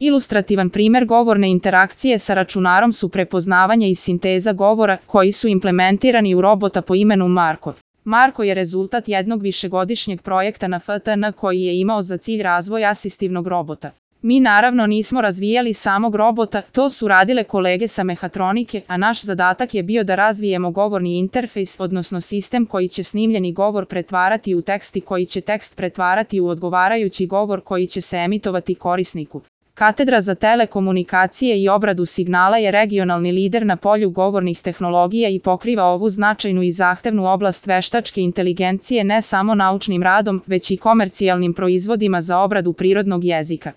Ilustrativan primer govorne interakcije sa računarom su prepoznavanje i sinteza govora koji su implementirani u robota po imenu Marko. Marko je rezultat jednog višegodišnjeg projekta na FTN koji je imao za cilj razvoj asistivnog robota. Mi naravno nismo razvijali samog robota, to su radile kolege sa mehatronike, a naš zadatak je bio da razvijemo govorni interfejs, odnosno sistem koji će snimljeni govor pretvarati u tekst i koji će tekst pretvarati u odgovarajući govor koji će se emitovati korisniku. Katedra za telekomunikacije i obradu signala je regionalni lider na polju govornih tehnologija i pokriva ovu značajnu i zahtevnu oblast veštačke inteligencije ne samo naučnim radom, već i komercijalnim proizvodima za obradu prirodnog jezika.